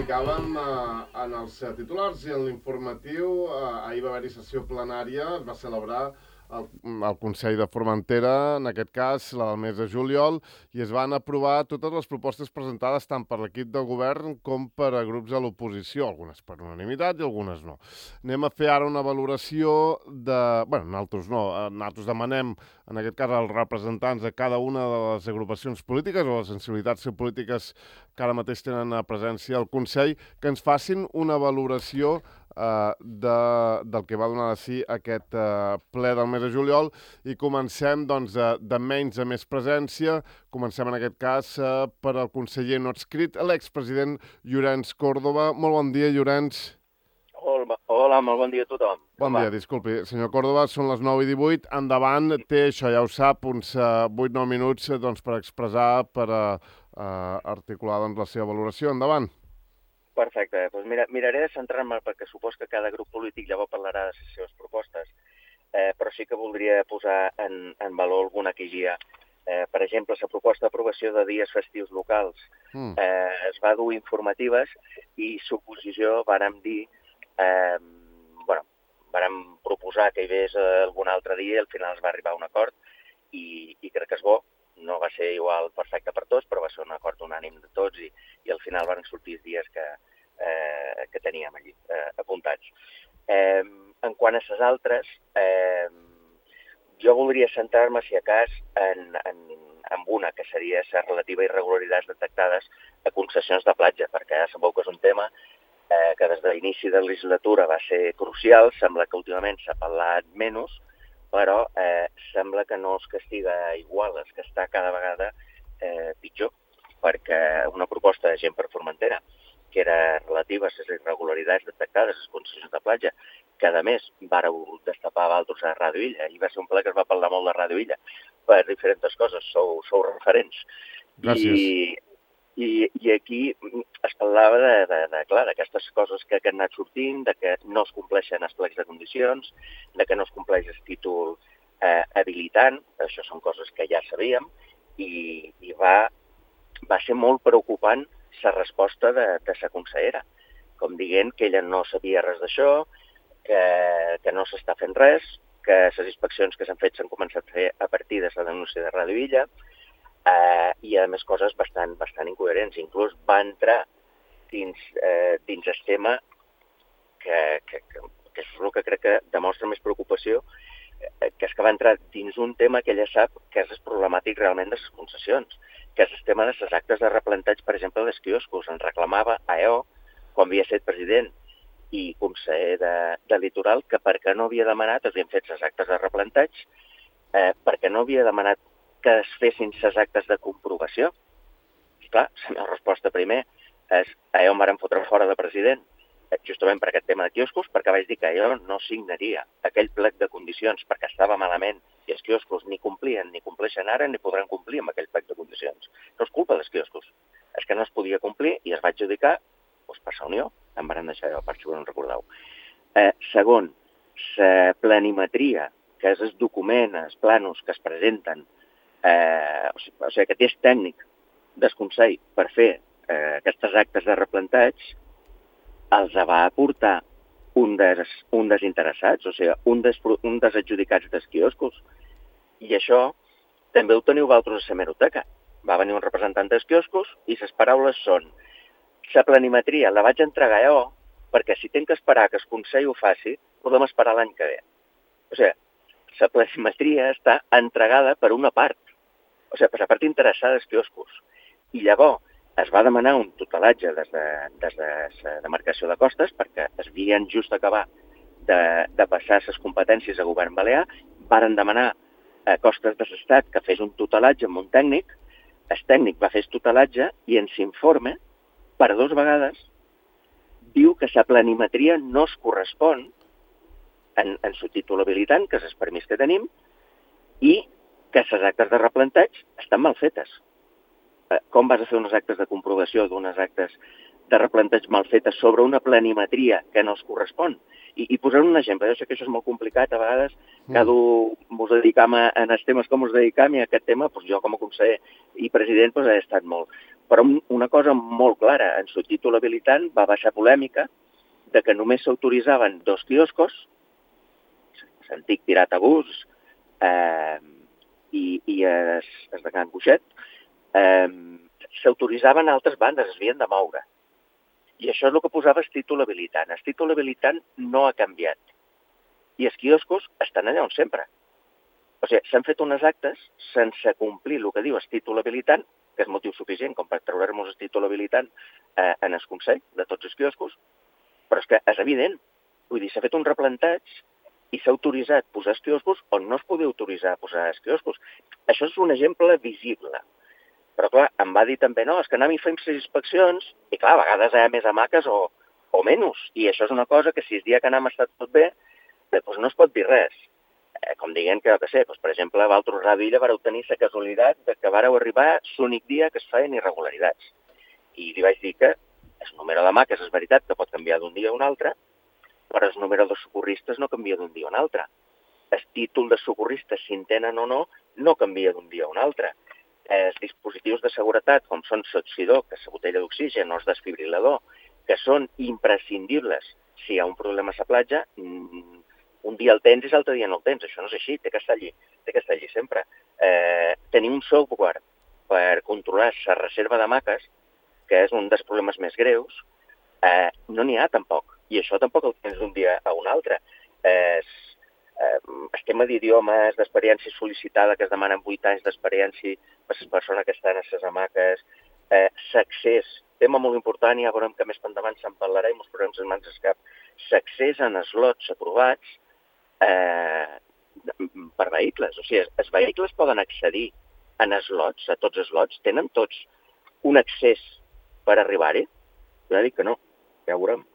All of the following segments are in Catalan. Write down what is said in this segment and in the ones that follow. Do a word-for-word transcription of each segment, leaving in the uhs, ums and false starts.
explicàvem eh, en els eh, titulars i en l'informatiu, eh, ahir va haver-hi sessió plenària, es va celebrar el, el Consell de Formentera, en aquest cas, la del mes de juliol, i es van aprovar totes les propostes presentades tant per l'equip del govern com per a grups de l'oposició, algunes per unanimitat i algunes no. Anem a fer ara una valoració de... Bé, nosaltres no, nosaltres demanem, en aquest cas, als representants de cada una de les agrupacions polítiques o les sensibilitats polítiques que ara mateix tenen a presència al Consell, que ens facin una valoració Uh, de, del que va donar de si aquest uh, ple del mes de juliol i comencem doncs, uh, de menys a més presència. Comencem en aquest cas uh, per al conseller no adscrit, l'expresident Llorenç Córdoba. Molt bon dia, Llorenç. Hola, hola, molt bon dia a tothom. Bon dia, disculpi. Senyor Córdoba, són les nou i divuit. Endavant, té, això ja ho sap, uns uh, vuit nou minuts doncs, per expressar, per uh, uh, articular doncs, la seva valoració. Endavant. Perfecte. Doncs mira, miraré de centrar-me perquè supos que cada grup polític llavors parlarà de les seves propostes, eh, però sí que voldria posar en, en valor alguna que hi ha. Eh, per exemple, la proposta d'aprovació de dies festius locals mm. eh, es va dur informatives i l'oposició vàrem dir, eh, bueno, vàrem proposar que hi hagués algun altre dia i al final es va arribar a un acord i, i crec que és bo. No va ser igual perfecte per tots, però va ser un acord unànim de tots i, i al final van sortir els dies que, eh, que teníem allí eh, apuntats. Eh, en quant a les altres, eh, jo voldria centrar-me, si a cas, en, en, en una, que seria la relativa a irregularitats detectades a concessions de platja, perquè ja sabeu que és un tema eh, que des de l'inici de la legislatura va ser crucial, sembla que últimament s'ha parlat menys, però eh, sembla que no es castiga igual, es que està cada vegada eh, pitjor, perquè una proposta de gent per Formentera, que era relativa a les irregularitats detectades a les concessions de platja, que a més vàreu destapar altres a Ràdio Illa, i va ser un ple que es va parlar molt de Ràdio Illa, per diferents coses, sou, sou referents. Gràcies. I, i, i aquí es parlava de, de, de, clar, d'aquestes coses que, que han anat sortint, de que no es compleixen els plecs de condicions, de que no es compleix el títol eh, habilitant, això són coses que ja sabíem, i, i va, va ser molt preocupant la resposta de, de la consellera, com dient que ella no sabia res d'això, que, que no s'està fent res, que les inspeccions que s'han fet s'han començat a fer a partir de la denúncia de Ràdio Illa, eh, i a més coses bastant, bastant incoherents. Inclús va entrar dins, eh, dins el tema que, que, que, que és el que crec que demostra més preocupació, eh, que és que va entrar dins un tema que ella sap que és problemàtic realment de les concessions, que és el tema de les actes de replanteig, per exemple, dels quioscos. En reclamava a E O, quan havia estat president i conseller de, de Litoral, que per què no havia demanat, havien fet les actes de replanteig, eh, perquè no havia demanat que es fessin les actes de comprovació. Esclar, la meva resposta primer és a E O em varen fotre fora de president, justament per aquest tema de quioscos, perquè vaig dir que jo no signaria aquell plec de condicions perquè estava malament i els quioscos ni complien, ni compleixen ara, ni podran complir amb aquell plec de condicions. No és culpa dels quioscos, és que no es podia complir i es va adjudicar doncs, per la Unió, em van deixar jo, per si ho no recordeu. Eh, segon, la planimetria, que és el document, els planos que es presenten, eh, o sigui, o sigui, que és tècnic del Consell per fer eh, aquestes actes de replanteig, els va aportar un dels, un dels interessats, o sigui, un dels, un dels adjudicats dels quioscos. I això també ho teniu vosaltres a la hemeroteca. Va venir un representant dels quioscos i les paraules són: la planimetria la vaig entregar jo perquè si tinc que esperar que el Consell ho faci, podem esperar l'any que ve. O sigui, la planimetria està entregada per una part, o sigui, per la part interessada dels quioscos. I llavors es va demanar un tutelatge des de, des de la demarcació de costes perquè es havien just acabar de, de passar les competències a govern balear, varen demanar a Costes de l'Estat que fes un tutelatge amb un tècnic, el tècnic va fer el tutelatge i en l'informe, per dues vegades, diu que la planimetria no es correspon en, en su títol habilitant, que és el permís que tenim, i que les actes de replanteig estan mal fetes. Com vas a fer uns actes de comprovació d'unes actes de replanteig mal fetes sobre una planimetria que no es correspon? I, i posar un exemple, jo sé que això és molt complicat, a vegades cada un ens dedicam a, en els temes com ens dedicam i a aquest tema, doncs jo com a conseller i president doncs, he estat molt. Però una cosa molt clara, en su títol habilitant va baixar polèmica de que només s'autoritzaven dos quioscos, l'antic Tirat a Bus eh, i, i es, es de Can Cuixet, eh, s'autoritzaven altres bandes, es havien de moure. I això és el que posava el títol habilitant. El títol habilitant no ha canviat. I els quioscos estan allà on sempre. O sigui, s'han fet unes actes sense complir el que diu el títol habilitant, que és motiu suficient com per treure-nos el títol habilitant eh, en el Consell de tots els quioscos, però és que és evident. Vull dir, s'ha fet un replanteig i s'ha autoritzat posar els quioscos on no es podia autoritzar posar els quioscos. Això és un exemple visible. Però, clar, em va dir també, no, és que anem i fem les inspeccions, i clar, a vegades hi ha més hamaques o, o menys, i això és una cosa que si el dia que anem ha estat tot bé, doncs no es pot dir res. Eh, com dient que, que sé, doncs, per exemple, a Valtros Ràdio vareu tenir la casualitat de que vareu arribar l'únic dia que es feien irregularitats. I li vaig dir que el número d'hamaques és veritat que pot canviar d'un dia a un altre, però el número de socorristes no canvia d'un dia a un altre. El títol de socorristes, si en tenen o no, no canvia d'un dia a un altre. Els dispositius de seguretat, com són l'oxidor, que és la botella d'oxigen, o el desfibrilador, que són imprescindibles si hi ha un problema a la platja, un dia el tens i l'altre dia no el tens. Això no és així, té que estar allí, té que estar allí sempre. Eh, tenir un software per controlar la reserva d'hamaques, que és un dels problemes més greus, eh, no n'hi ha tampoc. I això tampoc el tens d'un dia a un altre. Eh, el tema d'idiomes, d'experiència sol·licitada, que es demanen vuit anys d'experiència per les persones que estan a les hamaques, eh, l'accés, tema molt important, i ja veurem que més endavant se'n parlarà i ens posarem les mans al cap, l'accés en slots aprovats eh, per vehicles. O sigui, els vehicles poden accedir en slots, a tots els slots, tenen tots un accés per arribar-hi? Jo dic que no, ja ho veurem.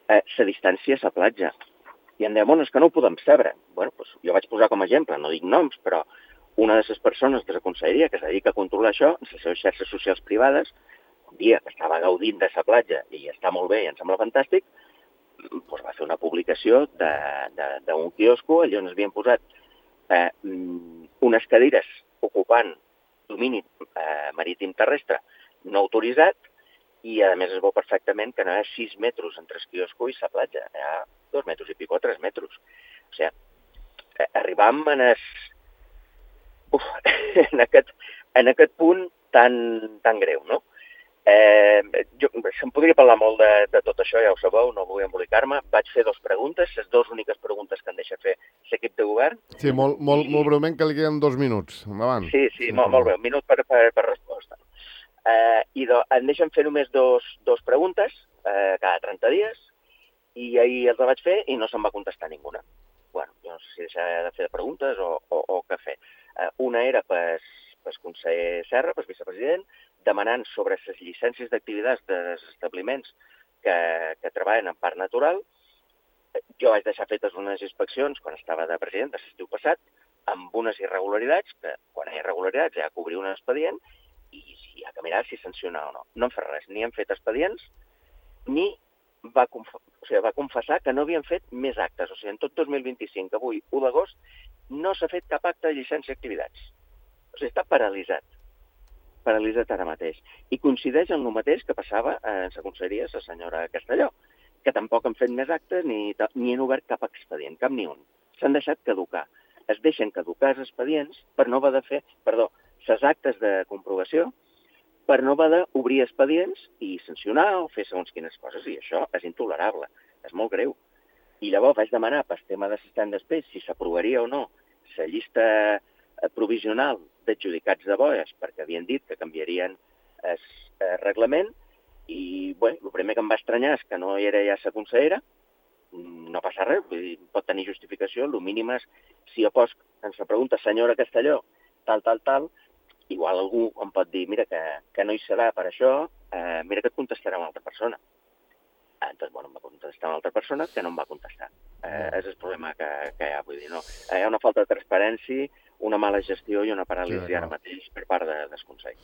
Eh, la distància a la platja. I em deia, bueno, és que no ho podem saber. Bueno, doncs jo vaig posar com a exemple, no dic noms, però una de les persones de la conselleria que es dedica a controlar això, en les seves xarxes socials privades, un dia que estava gaudint de la platja i està molt bé i em sembla fantàstic, doncs va fer una publicació d'un quiosco allà on es havien posat eh, unes cadires ocupant domini eh, marítim terrestre no autoritzat, i a més es veu perfectament que no hi ha sis metres entre el quiosco i la platja, hi ha dos metres i pico, tres metres. O sigui, arribam en, es... Uf, en, aquest, en aquest punt tan, tan greu, no? Eh, jo, se'm podria parlar molt de, de tot això, ja ho sabeu, no vull embolicar-me. Vaig fer dues preguntes, les dues úniques preguntes que em deixa fer l'equip de govern. Sí, molt, molt, i... molt breument, que li queden dos minuts. Endavant. Sí, sí, sí, molt, molt bé, un minut per, per, per resposta. Eh, I do, em deixen fer només dos, dos preguntes eh, cada trenta dies, i ahir els vaig fer i no se'n va contestar ninguna. Bueno, jo no sé si deixar de fer preguntes o, o, o què fer. Eh, una era pel conseller Serra, pel vicepresident, demanant sobre les llicències d'activitats dels establiments que, que treballen en parc natural. Jo vaig deixar fetes unes inspeccions quan estava de president de l'estiu passat, amb unes irregularitats, que quan hi ha irregularitats hi ha que obrir un expedient, i si hi ha que mirar si sanciona o no. No han fet res, ni han fet expedients, ni va, conf o sigui, va confessar que no havien fet més actes. O sigui, en tot dos mil vint-i-cinc, avui, u d'agost, no s'ha fet cap acte de llicència d'activitats. O sigui, està paralitzat. Paralitzat ara mateix. I coincideix amb el mateix que passava en la conselleria la senyora Castelló, que tampoc han fet més actes ni, ni han obert cap expedient, cap ni un. S'han deixat caducar. Es deixen caducar els expedients per no haver de fer, perdó, les actes de comprovació, per no haver d'obrir expedients i sancionar o fer segons quines coses, i això és intolerable, és molt greu. I llavors vaig demanar per tema d'assistent després si s'aprovaria o no la llista provisional d'adjudicats de boies, perquè havien dit que canviarien el reglament, i bé, el primer que em va estranyar és que no hi era ja la consellera, no passa res, vull dir, pot tenir justificació, el mínim és, si jo pos en la pregunta, senyora Castelló, tal, tal, tal, igual algú em pot dir, mira, que, que no hi serà per això, eh, mira que et contestarà una altra persona. Eh, doncs, bueno, em va contestar una altra persona que no em va contestar. Eh, és el problema que, que hi ha, vull dir, no. Eh, hi ha una falta de transparència, una mala gestió i una paràlisi sí, ara mateix per part de, del Consell.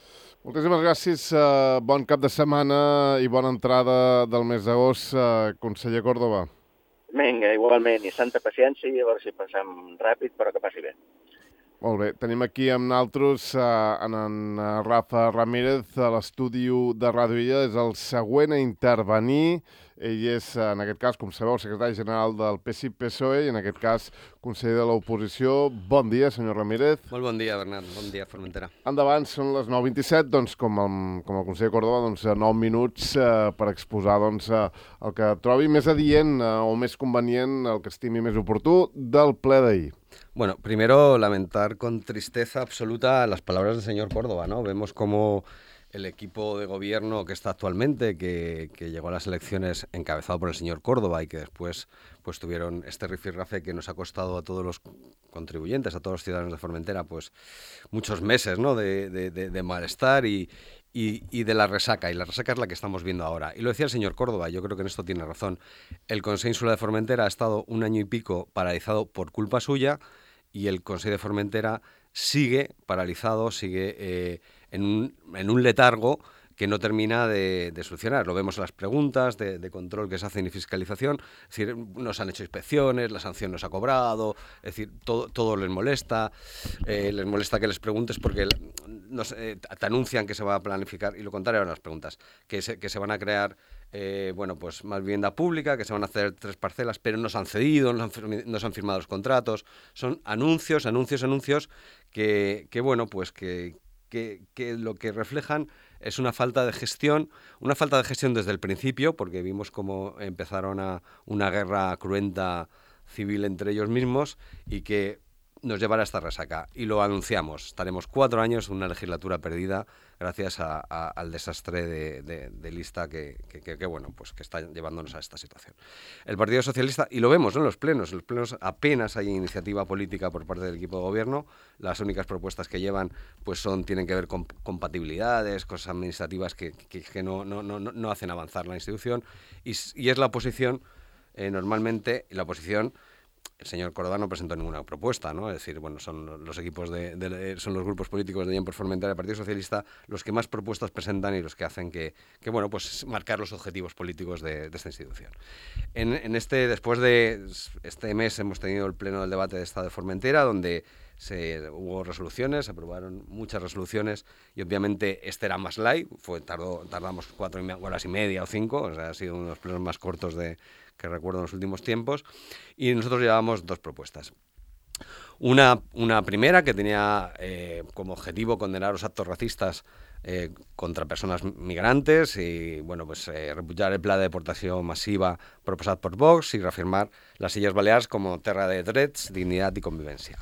Moltíssimes gràcies, uh, bon cap de setmana i bona entrada del mes d'agost, uh, conseller Córdoba. Vinga, igualment, i santa paciència, i a veure si passem ràpid, però que passi bé. Molt bé, tenim aquí amb naltros uh, en, en Rafa Ramírez a l'estudi de Ràdio Illa, és el següent a intervenir. Ell és, en aquest cas, com sabeu, secretari general del P S I P S O E i, en aquest cas, conseller de l'oposició. Bon dia, senyor Ramírez. Molt bon dia, Bernat. Bon dia, Formentera. Endavant, són les nou vint-i-set, doncs, com el, com el conseller Córdoba, doncs, nou minuts eh, per exposar doncs, eh, el que trobi més adient eh, o més convenient, el que estimi més oportú, del ple d'ahir. Bueno, primero lamentar con tristeza absoluta las palabras del señor Córdoba, ¿no? Vemos cómo el equipo de gobierno que está actualmente, que, que llegó a las elecciones encabezado por el señor Córdoba y que después pues tuvieron este rifirrafe que nos ha costado a todos los contribuyentes, a todos los ciudadanos de Formentera, pues muchos meses, ¿no? de, de, de, de malestar y, y, y de la resaca. Y la resaca es la que estamos viendo ahora. Y lo decía el señor Córdoba, yo creo que en esto tiene razón. El Consejo Insular de Formentera ha estado un año y pico paralizado por culpa suya y el Consejo de Formentera sigue paralizado, sigue eh, en, un, en un letargo que no termina de, de solucionar. Lo vemos en las preguntas de, de control que se hacen y fiscalización. Es decir, nos han hecho inspecciones, la sanción nos ha cobrado, es decir, todo, todo les molesta. Eh, les molesta que les preguntes porque nos, eh, te anuncian que se va a planificar, y lo contrario eran las preguntas, que se, que se van a crear eh, bueno, pues más vivienda pública, que se van a hacer tres parcelas, pero nos han cedido, nos han, nos han firmado los contratos. Son anuncios, anuncios, anuncios que, que bueno, pues que, que, que lo que reflejan es una falta de gestión, una falta de gestión desde el principio, porque vimos cómo empezaron a una guerra cruenta civil entre ellos mismos y que nos llevará a esta resaca. Y lo anunciamos, estaremos cuatro años en una legislatura perdida gracias a, a, al desastre de, de, de lista que, que, que, que, bueno, pues que está llevándonos a esta situación. El Partido Socialista, y lo vemos, ¿no?, en los plenos, en los plenos apenas hay iniciativa política por parte del equipo de gobierno. Las únicas propuestas que llevan pues son, tienen que ver con compatibilidades, cosas administrativas que, que, que no, no, no, no hacen avanzar la institución, y, y es la oposición, eh, normalmente, la oposición. El señor Córdoba no presentó ninguna propuesta, ¿no? Es decir, bueno, son los equipos de, de son los grupos políticos de Bien por Formentera del Partido Socialista los que más propuestas presentan y los que hacen que, que bueno, pues marcar los objetivos políticos de, de esta institución. En, en este, después de este mes hemos tenido el pleno del debate de Estado de Formentera, donde se, hubo resoluciones, se aprobaron muchas resoluciones y obviamente este era más light, fue, tardó, tardamos cuatro horas y media o cinco, o sea, ha sido uno de los plenos más cortos de que recuerdo en los últimos tiempos, y nosotros llevábamos dos propuestas. Una, una primera que tenía eh, como objetivo condenar los actos racistas eh, contra personas migrantes y bueno, pues eh, repudiar el plan de deportación masiva proposado por Vox y reafirmar las Illes Balears como terra de drets, dignidad y convivencia.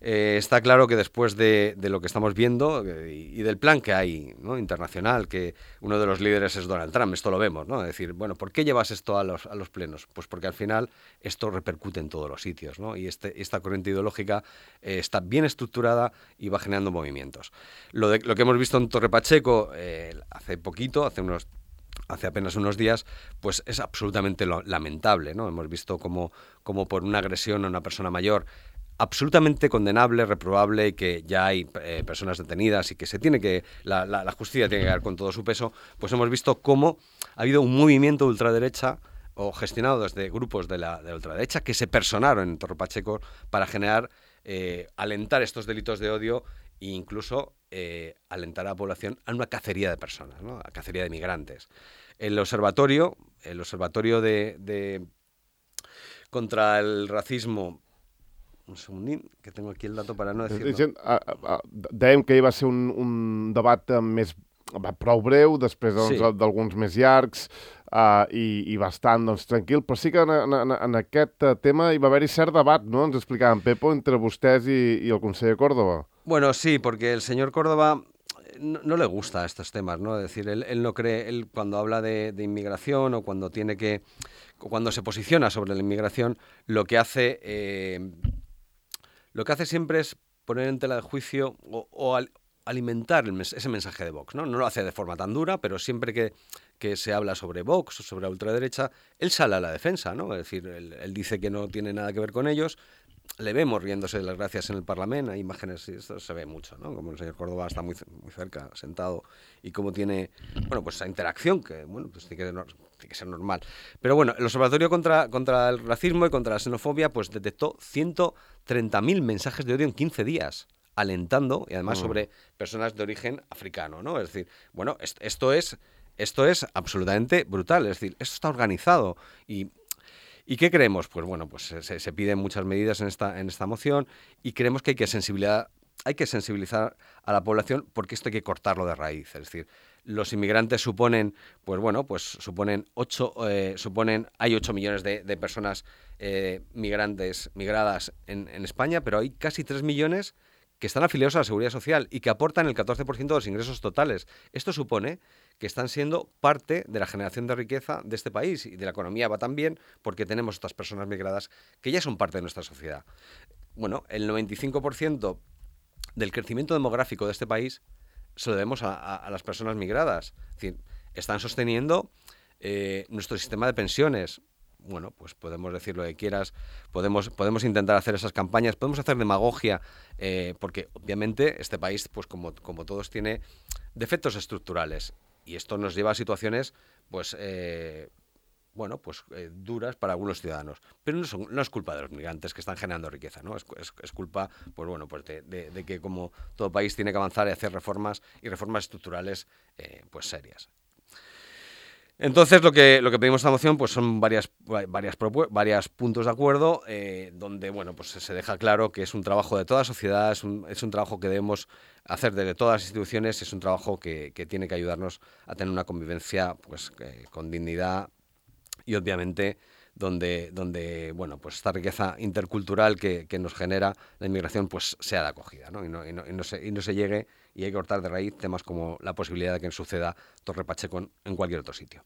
Eh, está claro que después de, de lo que estamos viendo eh, y del plan que hay, ¿no?, internacional, que uno de los líderes es Donald Trump, esto lo vemos, ¿no? Es decir, bueno, ¿por qué llevas esto a los, a los plenos? Pues porque al final esto repercute en todos los sitios, ¿no? Y este, esta corriente ideológica eh, está bien estructurada y va generando movimientos. Lo, de, lo que hemos visto en Torre Pacheco eh, hace poquito, hace unos hace apenas unos días, pues es absolutamente lo, lamentable, ¿no? Hemos visto como, como por una agresión a una persona mayor absolutamente condenable, reprobable, y que ya hay eh, personas detenidas y que se tiene que la, la, la justicia tiene que dar con todo su peso, pues hemos visto cómo ha habido un movimiento de ultraderecha o gestionado desde grupos de la, de la ultraderecha que se personaron en Torre Pacheco para generar, eh, alentar estos delitos de odio e incluso eh, alentar a la población a una cacería de personas, ¿no?, a cacería de migrantes. El observatorio, el observatorio de, de contra el racismo. Un segundín, que tengo aquí el dato para no decirlo. Dèiem que hi va ser un, un debat més prou breu, després doncs, sí. d'alguns més llargs uh, i, i bastant doncs, tranquil, però sí que en, en, en aquest tema hi va haver-hi cert debat, ¿no? Ens explicava en Pepo, entre vostès i, i el conseller Córdoba. Bueno, sí, porque el señor Córdoba no, no le gusta estos temas, ¿no? Es decir, él, él no cree, él cuando habla de, de inmigración o cuando tiene que, cuando se posiciona sobre la inmigración, lo que hace... Eh, Lo que hace siempre es poner en tela de juicio o, o al, alimentar el mes, ese mensaje de Vox, ¿no? No lo hace de forma tan dura, pero siempre que, que se habla sobre Vox o sobre la ultraderecha, él sale a la defensa, ¿no? Es decir, él, él dice que no tiene nada que ver con ellos. Le vemos riéndose de las gracias en el Parlamento, hay imágenes, y esto se ve mucho, ¿no? Como el señor Córdoba está muy, muy cerca, sentado, y cómo tiene, bueno, pues esa interacción que, bueno, pues tiene que, tiene que ser normal. Pero bueno, el Observatorio contra, contra el Racismo y contra la Xenofobia, pues detectó ciento treinta mil mensajes de odio en quince días. alentando, y además mm. sobre personas de origen africano, ¿no? Es decir, bueno, esto, esto es esto es absolutamente brutal, es decir, esto está organizado. Y, ¿y qué creemos? Pues bueno, pues se, se piden muchas medidas en esta, en esta moción, y creemos que hay que sensibilizar, hay que sensibilizar a la población, porque esto hay que cortarlo de raíz. Es decir, los inmigrantes suponen, pues bueno, pues suponen ocho, eh, suponen, hay ocho millones de, de personas eh, migrantes, migradas en, en España, pero hay casi tres millones que están afiliados a la Seguridad Social y que aportan el catorce por ciento de los ingresos totales. Esto supone que están siendo parte de la generación de riqueza de este país, y de la economía va también porque tenemos estas personas migradas que ya son parte de nuestra sociedad. Bueno, el noventa y cinco por ciento del crecimiento demográfico de este país se lo debemos a, a, a las personas migradas. Es decir, están sosteniendo eh, nuestro sistema de pensiones. Bueno, pues podemos decir lo que quieras, podemos, podemos intentar hacer esas campañas, podemos hacer demagogia, eh, porque obviamente este país, pues como, como todos, tiene defectos estructurales, y esto nos lleva a situaciones, pues, eh, bueno, pues eh, duras para algunos ciudadanos. Pero no, son, no es culpa de los migrantes que están generando riqueza, ¿no? Es, es, es culpa, pues bueno, pues de, de, de que como todo país tiene que avanzar y hacer reformas, y reformas estructurales, eh, pues serias. Entonces, lo que lo que pedimos esta moción, pues son varias varias propu- varios puntos de acuerdo, eh, donde bueno, pues se deja claro que es un trabajo de toda la sociedad, es un, es un trabajo que debemos hacer desde todas las instituciones, es un trabajo que, que tiene que ayudarnos a tener una convivencia, pues eh, con dignidad, y obviamente donde donde bueno, pues esta riqueza intercultural que, que nos genera la inmigración, pues sea de acogida, ¿no? Y no, y no, y no se y no se llegue, y hay que cortar de raíz temas como la posibilidad de que suceda Torre Pacheco en cualquier otro sitio.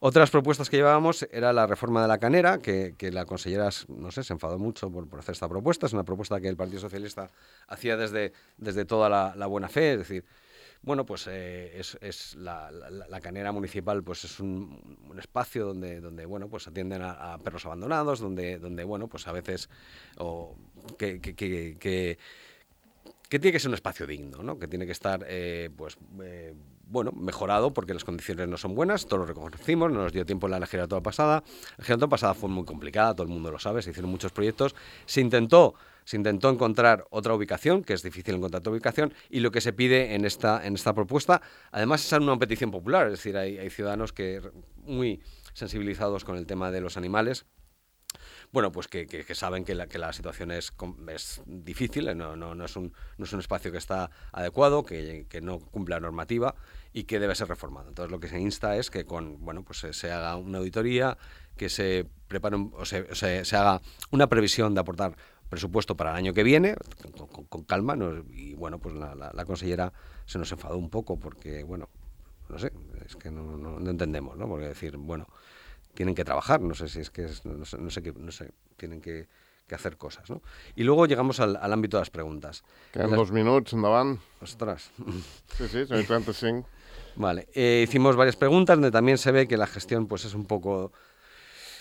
Otras propuestas que llevábamos era la reforma de la canera, que, que la consellera, no sé, se enfadó mucho por, por hacer esta propuesta. Es una propuesta que el Partido Socialista hacía desde, desde toda la, la buena fe, es decir, bueno, pues eh, es, es la, la, la canera municipal, pues es un, un espacio donde, donde bueno, pues atienden a, a perros abandonados, donde, donde bueno, pues a veces o que, que, que, que que tiene que ser un espacio digno, ¿no? Que tiene que estar, eh, pues, eh, bueno, mejorado, porque las condiciones no son buenas, todos lo reconocimos, no nos dio tiempo en la legislatura pasada. La legislatura pasada fue muy complicada, todo el mundo lo sabe, se hicieron muchos proyectos, se intentó, se intentó encontrar otra ubicación, que es difícil encontrar otra ubicación, y lo que se pide en esta, en esta propuesta, además es una petición popular, es decir, hay, hay ciudadanos que muy sensibilizados con el tema de los animales, bueno, pues que, que, que saben que la, que la situación es, es difícil, no, no, no, es un, no es un espacio que está adecuado, que, que no cumple la normativa y que debe ser reformado. Entonces lo que se insta es que con, bueno, pues se, se haga una auditoría, que se prepare un, o se, se, se haga una previsión de aportar presupuesto para el año que viene, con, con, con calma, ¿no? Y bueno, pues la, la, la consellera se nos enfadó un poco porque, bueno, no sé, es que no, no, no entendemos, ¿no? Porque decir, bueno, tienen que trabajar, no sé si es que es, no sé, no sé qué, no sé, tienen que, que hacer cosas, ¿no? Y luego llegamos al, al ámbito de las preguntas. Queden las... dos minuts, endavant. Ostras. Sí, sí, son treinta-cinc. Vale, eh, hicimos varias preguntas donde también se ve que la gestión pues es un poco,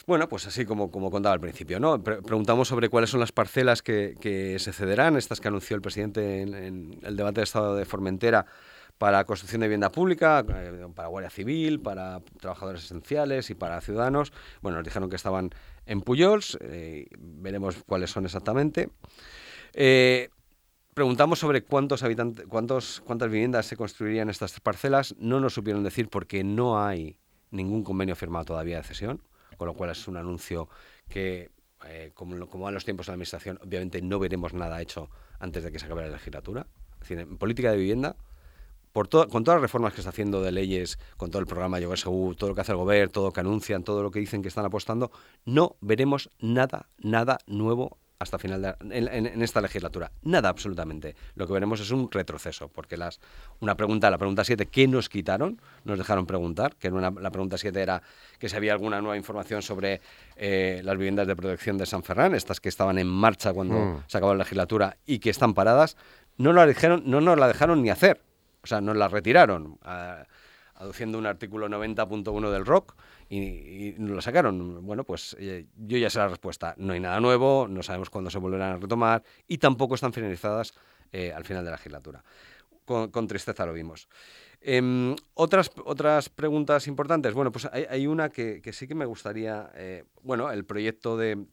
bueno, pues así como, como contaba al principio, ¿no? Pre- preguntamos sobre cuáles son las parcelas que, que se cederán, estas que anunció el presidente en, en el debate de Estado de Formentera, para construcción de vivienda pública, eh, para Guardia Civil, para trabajadores esenciales y para ciudadanos. Bueno, nos dijeron que estaban en Pujols, eh, veremos cuáles son exactamente. Eh, preguntamos sobre cuántos habitantes, cuántos, cuántas viviendas se construirían en estas parcelas. No nos supieron decir porque no hay ningún convenio firmado todavía de cesión, con lo cual es un anuncio que, eh, como, como van los tiempos de la Administración, obviamente no veremos nada hecho antes de que se acabe la legislatura. Es decir, en política de vivienda, Por to- con todas las reformas que está haciendo de leyes, con todo el programa Lloguer Segur, todo lo que hace el gobierno, todo lo que anuncian, todo lo que dicen que están apostando, no veremos nada, nada nuevo hasta final de, en, en, en esta legislatura. Nada, absolutamente. Lo que veremos es un retroceso, porque las una pregunta, la pregunta siete, ¿qué nos quitaron? Nos dejaron preguntar, que era una, la pregunta siete era que si había alguna nueva información sobre eh, las viviendas de protección de San Ferran, estas que estaban en marcha cuando mm. se acabó la legislatura y que están paradas, no, la dijeron, no nos la dejaron ni hacer. O sea, nos la retiraron, a, aduciendo un artículo noventa punto uno del R O C, y, y nos la sacaron. Bueno, pues eh, yo ya sé la respuesta. No hay nada nuevo, no sabemos cuándo se volverán a retomar, y tampoco están finalizadas eh, al final de la legislatura. Con, con tristeza lo vimos. Eh, otras, otras preguntas importantes. Bueno, pues hay, hay una que, que sí que me gustaría... Eh, bueno, el proyecto de,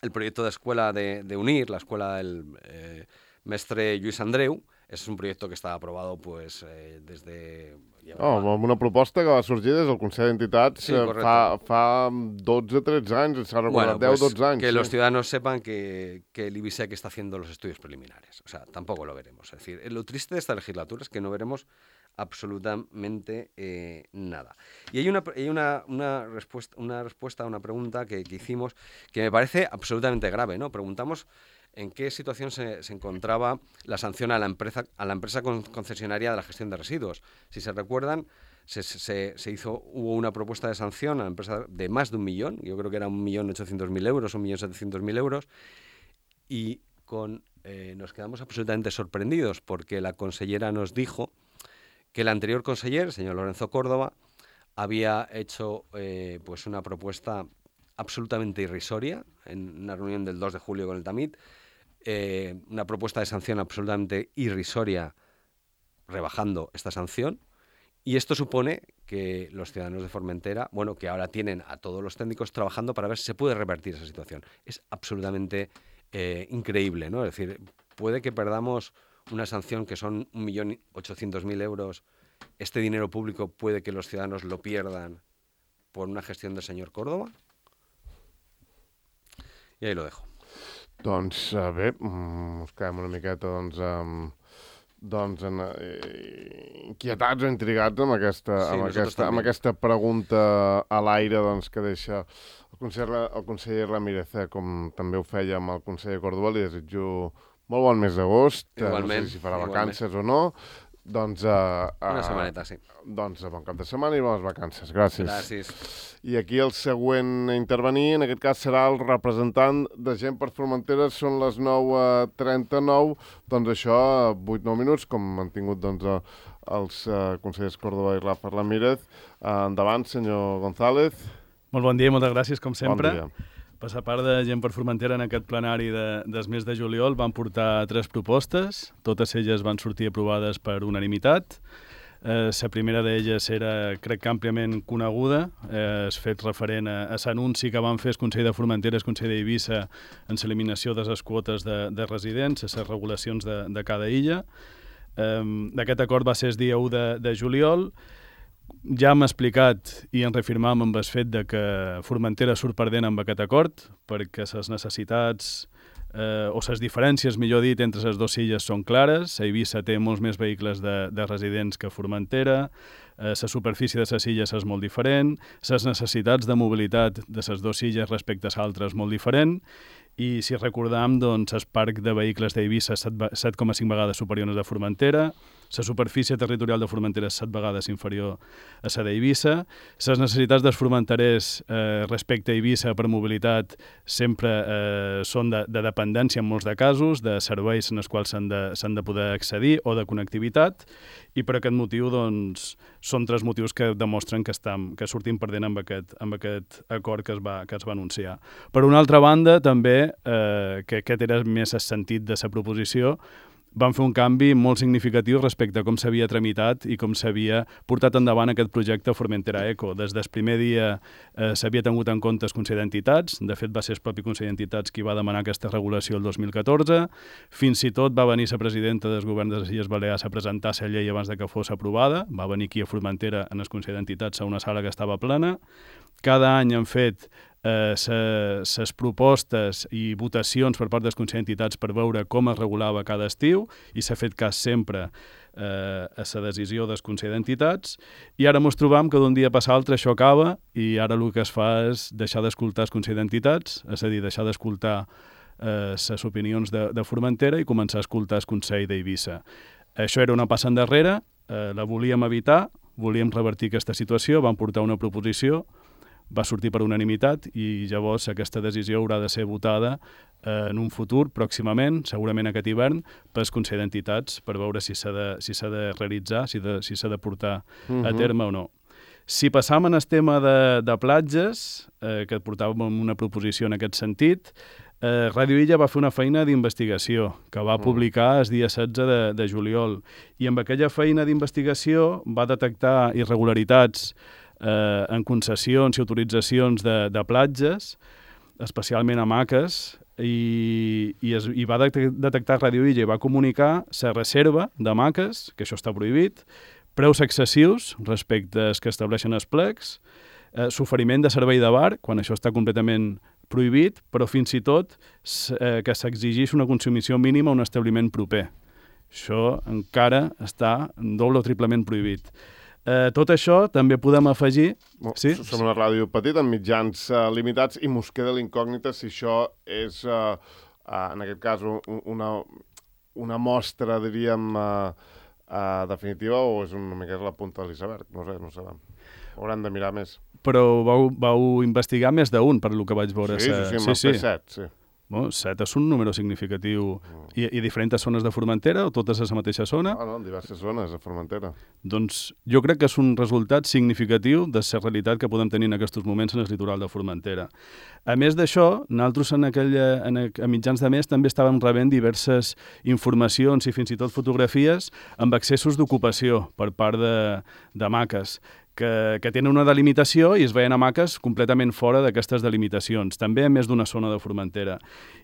el proyecto de escuela de, de UNIR, la escuela del... Eh, Mestre Lluís Andreu. Ese es un proyecto que está aprobado pues eh, desde... Oh, amb una proposta que va sorgir des del Consell d'Entitats sí, fa, fa dotze tretze anys, s'ha recordat, bueno, pues, deu dotze anys. Que sí. los ciudadanos sepan que, que el IBISEC está haciendo los estudios preliminares. O sea, tampoco lo veremos. Es decir, lo triste de esta legislatura es que no veremos absolutamente eh, nada. Y hay una, hay una, una, respuesta, una respuesta a una pregunta que, que hicimos que me parece absolutamente grave, ¿no? Preguntamos en qué situación se, se encontraba la sanción a la empresa, a la empresa concesionaria de la gestión de residuos. Si se recuerdan, se, se, se hizo, hubo una propuesta de sanción a la empresa de más de un millón, yo creo que era un millón ochocientos mil euros, un millón setecientos mil euros, y con, eh, nos quedamos absolutamente sorprendidos porque la consellera nos dijo que el anterior conseller, el señor Lorenzo Córdoba, había hecho eh, pues una propuesta absolutamente irrisoria en una reunión del dos de julio con el Tamit, eh, una propuesta de sanción absolutamente irrisoria rebajando esta sanción, y esto supone que los ciudadanos de Formentera, bueno, que ahora tienen a todos los técnicos trabajando para ver si se puede revertir esa situación. Es absolutamente eh, increíble, ¿no? Es decir, puede que perdamos una sanción que son un millón ochocientos mil euros, este dinero público puede que los ciudadanos lo pierdan por una gestión del señor Córdoba. I ahí lo dejo. Doncs uh, bé, ens quedem una miqueta doncs, um, doncs en, eh, inquietats o intrigats amb aquesta, sí, amb, aquesta, amb aquesta pregunta a l'aire doncs, que deixa el conseller, el conseller Ramírez, eh, com també ho feia amb el conseller Córdoba. Li desitjo molt bon mes d'agost, igualment, no sé si farà igualment. vacances o no. Doncs, uh, uh, una setmaneta, sí. Doncs bon cap de setmana i bones vacances. Gràcies. Gràcies. I aquí el següent a intervenir, en aquest cas, serà el representant de Gent per Formentera. Són les nou trenta-nou. Doncs això, vuit nou minuts, com han tingut doncs, els uh, consellers Córdoba i Rafa Ramírez. Uh, endavant, senyor González. Molt bon dia i moltes gràcies, com sempre. Bon dia. Per la part de Gent per Formentera, en aquest plenari de, del mes de juliol van portar tres propostes, totes elles van sortir aprovades per unanimitat. Eh, la primera d'elles era, crec que àmpliament coneguda, eh, es fet referent a, a l'anunci que van fer el Consell de Formentera i el Consell d'Eivissa en l'eliminació de les quotes de, de residents, les regulacions de, de cada illa. Eh, aquest acord va ser el dia u de, de juliol. Ja hem explicat i en reafirmam amb el fet de que Formentera surt perdent amb aquest acord perquè les necessitats eh, o les diferències, millor dit, entre les dues illes són clares. Eivissa té molts més vehicles de, de residents que Formentera, eh, la superfície de les illes és molt diferent, les necessitats de mobilitat de les dues illes respecte a l'altra és molt diferent, i si recordam, doncs, el parc de vehicles d'Eivissa és set coma cinc vegades superior al de Formentera, la superfície territorial de Formentera és set vegades inferior a la d'Eivissa, les necessitats dels formenterers eh, respecte a Eivissa per mobilitat sempre eh, són de, de dependència en molts de casos, de serveis en els quals s'han de, s'han de poder accedir o de connectivitat, i per aquest motiu doncs, són tres motius que demostren que, estam, que sortim perdent amb aquest, amb aquest acord que es, va, que es va anunciar. Per una altra banda, també, eh, que aquest era més el sentit de la proposició, van fer un canvi molt significatiu respecte a com s'havia tramitat i com s'havia portat endavant aquest projecte Formentera Eco. Des del primer dia eh, s'havia tingut en compte el Consell d'Entitats, de fet va ser el propi Consell d'Entitats qui va demanar aquesta regulació el dos mil catorze, fins i tot va venir la presidenta del govern de les Illes Balears a presentar la llei abans de que fos aprovada, va venir aquí a Formentera en el Consell d'Entitats a una sala que estava plena. Cada any han fet les eh, propostes i votacions per part dels Consell d'Entitats per veure com es regulava cada estiu i s'ha fet cas sempre eh, a la decisió del Consell d'Entitats, i ara ens trobam que d'un dia per l'altre això acaba i ara el que es fa és deixar d'escoltar el Consell d'Entitats, és a dir, deixar d'escoltar eh, les opinions de, de Formentera i començar a escoltar el Consell d'Eivissa. Això era una passa endarrere, eh, la volíem evitar, volíem revertir aquesta situació, vam portar una proposició, va sortir per unanimitat i llavors aquesta decisió haurà de ser votada eh, en un futur, pròximament, segurament aquest hivern, pel Consell d'Entitats per veure si s'ha de, si s'ha de realitzar, si s'ha si de portar uh-huh. a terme o no. Si passam en el tema de, de platges, eh, que portàvem una proposició en aquest sentit, eh, Radio Illa va fer una feina d'investigació que va uh-huh. publicar el dia setze de, de juliol, i amb aquella feina d'investigació va detectar irregularitats eh, en concessions i autoritzacions de, de platges, especialment hamaques, i, i, es, i va detectar Radio Illa i va comunicar la reserva de maques, que això està prohibit, preus excessius respecte als que estableixen els plecs, eh, s'oferiment de servei de bar, quan això està completament prohibit, però fins i tot eh, que s'exigeix una consumició mínima a un establiment proper. Això encara està doble o triplement prohibit. Eh, tot això també podem afegir... Bon, sí? Som una ràdio petita, amb mitjans uh, limitats, i mos queda l'incògnita si això és, uh, uh, en aquest cas, un, una, una mostra, diríem, uh, uh, definitiva, o és una mica la punta de l'iceberg. No sé, no sabem. Haurem de mirar més. Però vau, vau investigar més d'un, per lo que vaig veure. Sí, sí, sí, sí, sí. set, sí. Bueno, set és un número significatiu. I, i diferents zones de Formentera o totes a la mateixa zona? No, no, en diverses zones de Formentera. Doncs jo crec que és un resultat significatiu de la realitat que podem tenir en aquests moments en el litoral de Formentera. A més d'això, nosaltres en aquella, en, a mitjans de mes també estàvem rebent diverses informacions i fins i tot fotografies amb accessos d'ocupació per part de, de maques. Que, que tenen una delimitació i es veien hamaques completament fora d'aquestes delimitacions, també a més d'una zona de Formentera.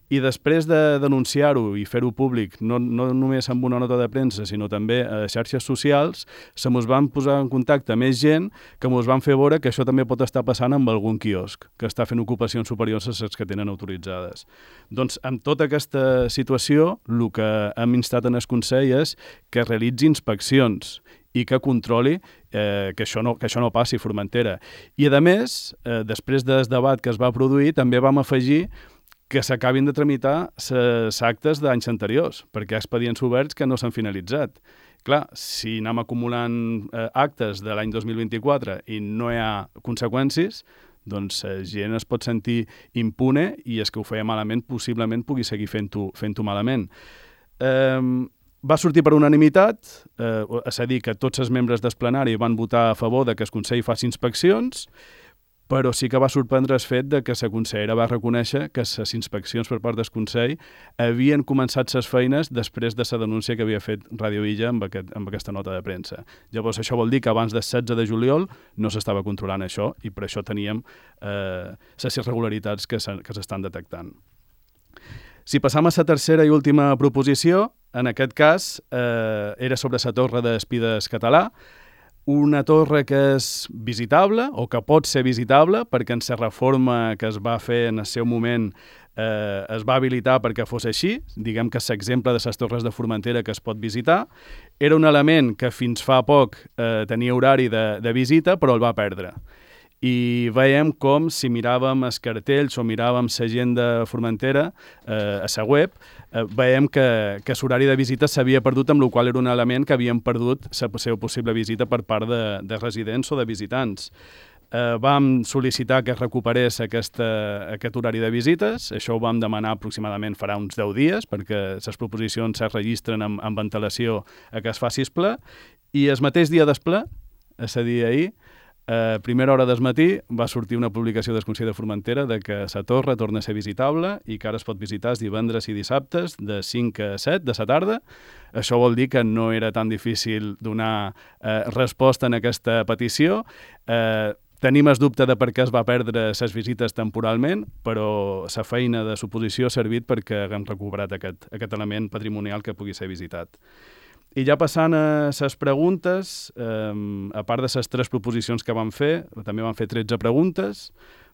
I després de denunciar-ho i fer-ho públic, no, no només amb una nota de premsa, sinó també a xarxes socials, se mos van posar en contacte més gent que mos van fer veure que això també pot estar passant amb algun quiosc, que està fent ocupacions superiors a les que tenen autoritzades. Doncs amb tota aquesta situació, el que hem instat en el Consell és que realitzi inspeccions i que controli eh, que, això no, que això no passi a Formentera. I, a més, eh, després del debat que es va produir, també vam afegir que s'acabin de tramitar les actes d'anys anteriors, perquè hi ha expedients oberts que no s'han finalitzat. Clar, si anem acumulant eh, actes de l'any dos mil vint-i-quatre i no hi ha conseqüències, doncs la gent es pot sentir impune i és que ho feia malament, possiblement pugui seguir fent-ho fent-ho malament. Eh, Va sortir per unanimitat, eh, és a dir, que tots els membres del plenari van votar a favor de que el Consell faci inspeccions, però sí que va sorprendre el fet de que la consellera va reconèixer que les inspeccions per part del Consell havien començat les feines després de la denúncia que havia fet Radio Illa amb, aquest, amb aquesta nota de premsa. Llavors, això vol dir que abans del setze de juliol no s'estava controlant això i per això teníem eh, les irregularitats que s'estan detectant. Si passam a la tercera i última proposició, en aquest cas eh, era sobre la torre d'Espides Català, una torre que és visitable o que pot ser visitable perquè en la reforma que es va fer en el seu moment eh, es va habilitar perquè fos així, diguem que és l'exemple de les torres de Formentera que es pot visitar. Era un element que fins fa poc eh, tenia horari de, de visita però el va perdre. I veiem com, si miràvem els cartells o miràvem l'agenda de Formentera eh, a la web, eh, veiem que, que l'horari de visita s'havia perdut, amb la qual era un element que havien perdut la seva possible visita per part de, de residents o de visitants. Eh, vam sol·licitar que es recuperés aquesta, aquest horari de visites, això ho vam demanar aproximadament farà uns deu dies, perquè les proposicions es registren amb, amb antelació a que es faci el ple, i el mateix dia del ple, és a dir, ahir, a primera hora del matí va sortir una publicació del Consell de Formentera de que la torre torna a ser visitable i que ara es pot visitar els divendres i dissabtes de cinc a set de la tarda. Això vol dir que no era tan difícil donar eh, resposta en aquesta petició. Eh, Tenim el dubte de per què es va perdre les visites temporalment, però la feina de suposició ha servit perquè haguem recuperat aquest, aquest element patrimonial que pugui ser visitat. I ja passant a les preguntes, eh, a part de les tres proposicions que vam fer, també vam fer tretze preguntes,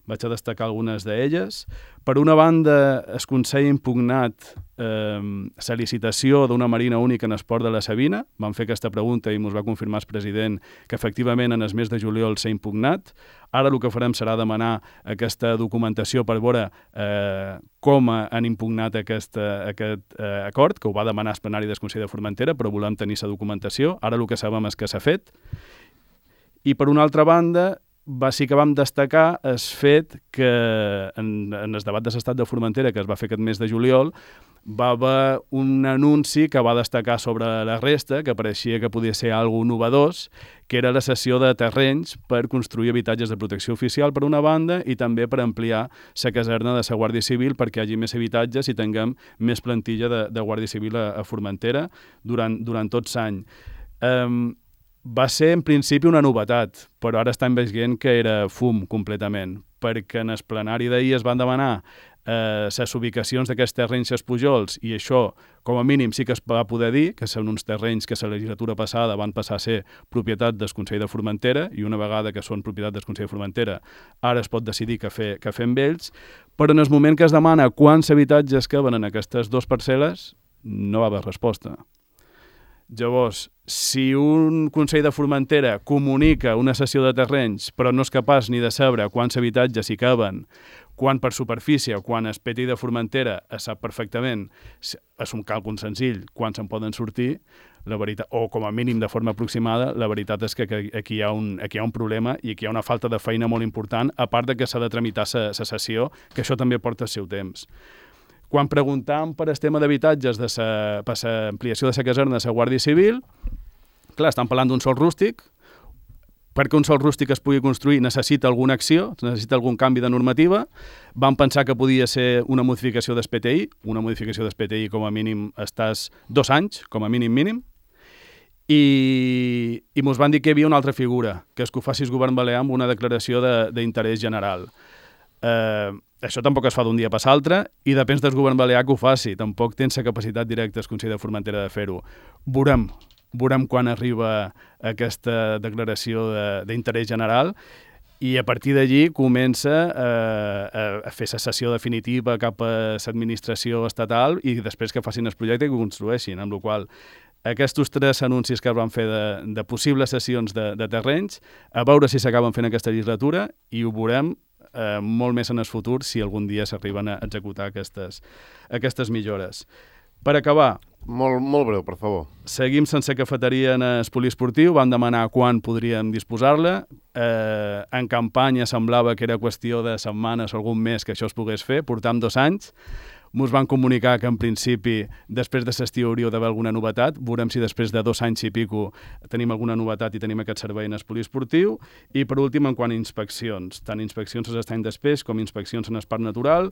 vaig a destacar algunes d'elles. Per una banda, el Consell ha impugnat eh, la licitació d'una marina única en esport de la Sabina. Vam fer aquesta pregunta i ens va confirmar el president que efectivament en el mes de juliol s'ha impugnat. Ara el que farem serà demanar aquesta documentació per veure eh, com han impugnat aquesta, aquest eh, acord, que ho va demanar el plenari del Consell de Formentera, però volem tenir la documentació. Ara el que sabem és que s'ha fet. I per una altra banda, va, sí que vam destacar el fet que en, en el debat de l'estat de Formentera que es va fer aquest mes de juliol va haver un anunci que va destacar sobre la resta, que pareixia que podia ser alguna novedós, que era la cessió de terrenys per construir habitatges de protecció oficial per una banda i també per ampliar la caserna de la Guàrdia Civil perquè hi hagi més habitatges i tinguem més plantilla de, de Guàrdia Civil a, a Formentera durant, durant tot l'any. Um, Va ser, en principi, una novetat, però ara estem veient que era fum completament, perquè en el plenari d'ahir es van demanar eh, les ubicacions d'aquests terrenys als Pujols, i això, com a mínim, sí que es va poder dir, que són uns terrenys que la legislatura passada van passar a ser propietat del Consell de Formentera, i una vegada que són propietat del Consell de Formentera, ara es pot decidir què fer, què fer amb ells, però en el moment que es demana quants habitatges caben en aquestes dues parcel·les, no va haver resposta. Llavors, si un Consell de Formentera comunica una cessió de terrenys però no és capaç ni de saber quants habitatges hi caben, quan per superfície o quan el P T I de Formentera es sap perfectament, és un càlcul senzill, quan se'n poden sortir, la veritat, o com a mínim de forma aproximada, la veritat és que aquí hi ha un, aquí hi ha un problema i aquí hi ha una falta de feina molt important, a part de que s'ha de tramitar la cessió, que això també porta el seu temps. Quan preguntàvem per el tema d'habitatges de sa, per l'ampliació de la caserna de la Guàrdia Civil, clar, estan parlant d'un sòl rústic. Perquè un sòl rústic es pugui construir necessita alguna acció, necessita algun canvi de normativa. Vam pensar que podia ser una modificació del P T I, una modificació del P T I com a mínim estàs dos anys, com a mínim mínim, i, i mos van dir que hi havia una altra figura, que és que ho faci el govern balear amb una declaració d'interès de, general. Eh, això tampoc es fa d'un dia per l'altre i depèn del govern balear que ho faci. Tampoc tens la capacitat directa el Consell de Formentera de fer-ho. Veurem, veurem quan arriba aquesta declaració d'interès de, general i a partir d'allí comença eh, a, a fer la sessió definitiva cap a l'administració estatal i després que facin el projecte i que ho construeixin, amb la qual aquests tres anuncis que es van fer de, de possibles sessions de, de terrenys, a veure si s'acaben fent aquesta legislatura i ho veurem eh, molt més en el futur si algun dia s'arriben a executar aquestes, aquestes millores. Per acabar... Molt, molt breu, per favor. Seguim sense cafeteria en el poliesportiu, vam demanar quan podríem disposar-la. Eh, en campanya semblava que era qüestió de setmanes o algun mes que això es pogués fer, portam dos anys. Ens van comunicar que en principi després de l'estiu hauria d'haver alguna novetat. Veurem si després de dos anys i pico tenim alguna novetat i tenim aquest servei en el poliesportiu. I per últim, en quant a inspeccions, tant inspeccions als estanys d'espeix com inspeccions en el parc natural,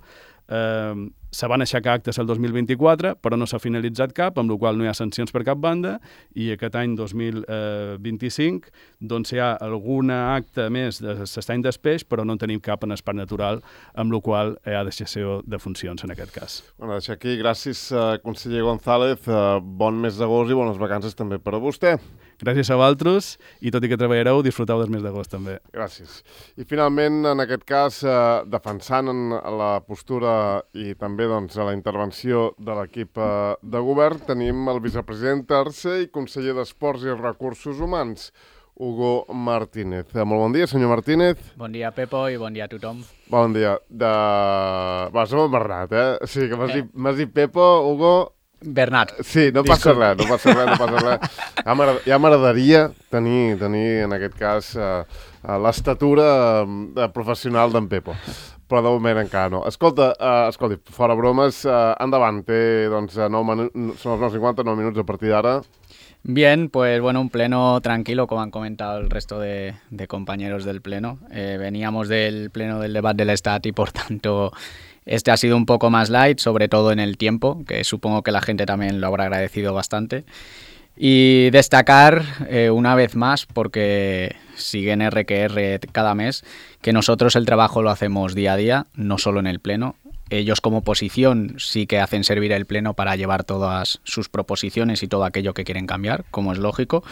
eh, se van aixecar actes el dos mil vint-i-quatre, però no s'ha finalitzat cap, amb la qual no hi ha sancions per cap banda, i aquest any dos mil vint-i-cinc doncs hi ha alguna acte més de l'estany d'espeix, però no en tenim cap en el parc natural, amb la qual hi ha deixació de funcions en aquest cas. Bueno, deixar aquí, gràcies, uh, conseller González, uh, bon mes d'agost i bones vacances també per a vostè. Gràcies a vosaltres, i tot i que treballareu, disfruteu del mes d'agost també. Gràcies. I finalment, en aquest cas, eh, defensant la postura i també doncs, la intervenció de l'equip eh, de govern, tenim el vicepresident tercer i conseller d'Esports i Recursos Humans, Hugo Martínez. Eh, molt bon dia, senyor Martínez. Bon dia, Pepo, i bon dia a tothom. Bon dia. De... Va, som el Bernat, eh? O sigui que m'has eh. dit, m'has dit Pepo, Hugo... Bernat. Sí, no passa res, no passa res, no passa res. Ja m'agradaria tenir, tenir, en aquest cas, uh, l'estatura uh, professional d'en Pepo, però de moment encara no. Escolta, uh, escolti, fora bromes, uh, endavant, té, doncs, nou són els nou cinquanta, nou minuts a partir d'ara. Bien, pues bueno, un pleno tranquilo, como han comentado el resto de, de compañeros del pleno. Eh, veníamos del pleno del debate del Estado y por tanto este ha sido un poco más light, sobre todo en el tiempo, que supongo que la gente también lo habrá agradecido bastante. Y destacar eh, una vez más, porque siguen R que R cada mes, que nosotros el trabajo lo hacemos día a día, no solo en el pleno. Ellos como oposición sí que hacen servir el pleno para llevar todas sus proposiciones y todo aquello que quieren cambiar, como es lógico.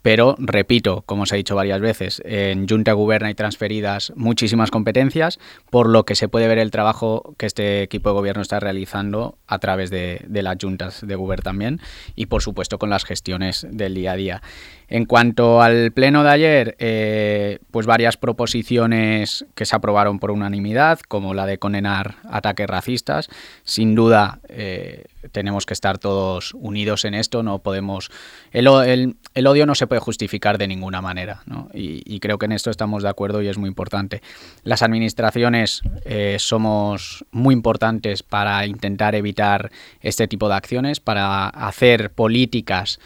Pero, repito, como os he dicho varias veces, en Junta Goberna hay transferidas muchísimas competencias, por lo que se puede ver el trabajo que este equipo de gobierno está realizando a través de, de las juntas de Gobierno también y, por supuesto, con las gestiones del día a día. En cuanto al pleno de ayer, eh, pues varias proposiciones que se aprobaron por unanimidad, como la de condenar ataques racistas. Sin duda, eh, tenemos que estar todos unidos en esto, no podemos... El, el, el odio no se puede justificar de ninguna manera, ¿no? Y, y creo que en esto estamos de acuerdo y es muy importante. Las administraciones eh, somos muy importantes para intentar evitar este tipo de acciones, para hacer políticas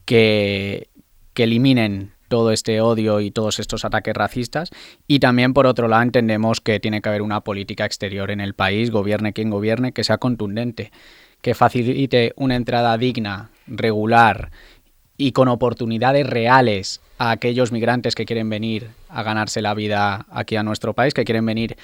que, que eliminen todo este odio y todos estos ataques racistas, y también por otro lado entendemos que tiene que haber una política exterior en el país, gobierne quien gobierne, que sea contundente, que facilite una entrada digna, regular y con oportunidades reales a aquellos migrantes que quieren venir a ganarse la vida aquí a nuestro país, que quieren venir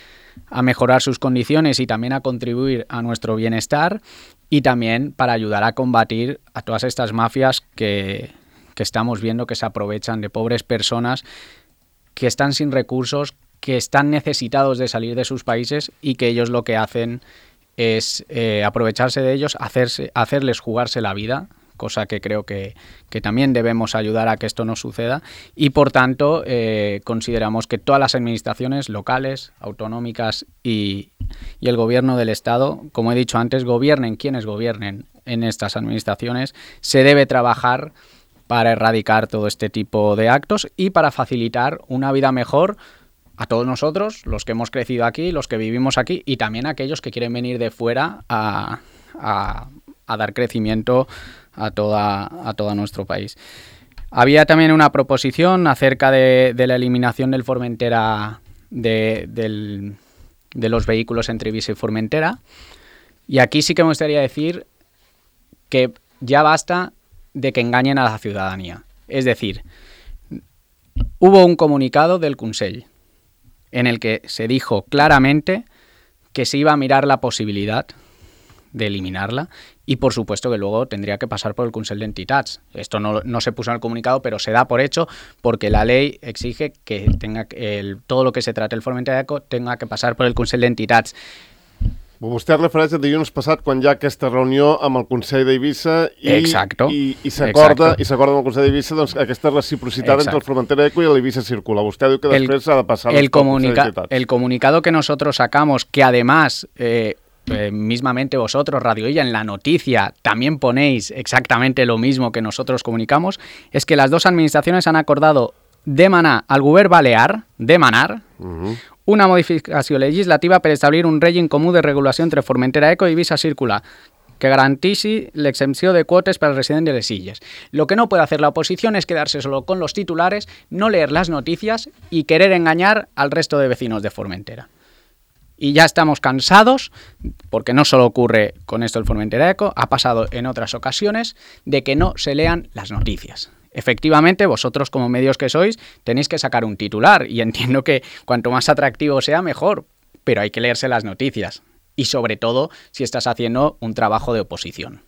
a mejorar sus condiciones y también a contribuir a nuestro bienestar, y también para ayudar a combatir a todas estas mafias que, que estamos viendo que se aprovechan de pobres personas que están sin recursos, que están necesitados de salir de sus países y que ellos lo que hacen es eh, aprovecharse de ellos, hacerse, hacerles jugarse la vida, cosa que creo que, que también debemos ayudar a que esto no suceda, y por tanto eh, consideramos que todas las administraciones locales, autonómicas y, y el gobierno del Estado, como he dicho antes, gobiernen quienes gobiernen en estas administraciones, se debe trabajar para erradicar todo este tipo de actos y para facilitar una vida mejor a todos nosotros, los que hemos crecido aquí, los que vivimos aquí, y también a aquellos que quieren venir de fuera a, a, a dar crecimiento a toda a todo nuestro país. Había también una proposición acerca de, de la eliminación del Formentera, de, del, de los vehículos entre Eivissa y Formentera, y aquí sí que me gustaría decir que ya basta de que engañen a la ciudadanía. Es decir, hubo un comunicado del Consell en el que se dijo claramente que se iba a mirar la posibilidad de eliminarla, y por supuesto que luego tendría que pasar por el Consell d'Entitats. Esto no, no se puso en el comunicado, pero se da por hecho porque la ley exige que tenga el, todo lo que se trate el Formentera Eco tenga que passar per el Consell d'Entitats. Vostè es refereix a dilluns passat quan hi ha aquesta reunió amb el Consell d'Eivissa i, Exacto. i, i s'acorda Exacto. i s'acorda amb el Consell d'Eivissa doncs, aquesta reciprocitat Exacto. entre el Formentera Eco i l'Eivissa Circula. Vostè diu que després el, ha de passar el, comunica d'Entitats. El comunicado que nosotros sacamos, que además eh, eh, mismamente vosotros, Radio Illa, en la noticia también ponéis exactamente lo mismo que nosotros comunicamos, es que las dos administraciones han acordado demanar al govern balear, demanar, uh-huh. una modificació legislativa per establir un règim comú de regulació entre Formentera Eco i Eivissa Circular que garantisi l'exempció de quotes para el residente de les Illes. Lo que no puede hacer la oposición es quedarse solo con los titulares, no leer las noticias y querer engañar al resto de vecinos de Formentera. Y ya estamos cansados, porque no solo ocurre con esto el Formentera Eco, ha pasado en otras ocasiones, de que no se lean las noticias. Efectivamente, vosotros como medios que sois tenéis que sacar un titular, y entiendo que cuanto más atractivo sea, mejor, pero hay que leerse las noticias, y sobre todo si estás haciendo un trabajo de oposición.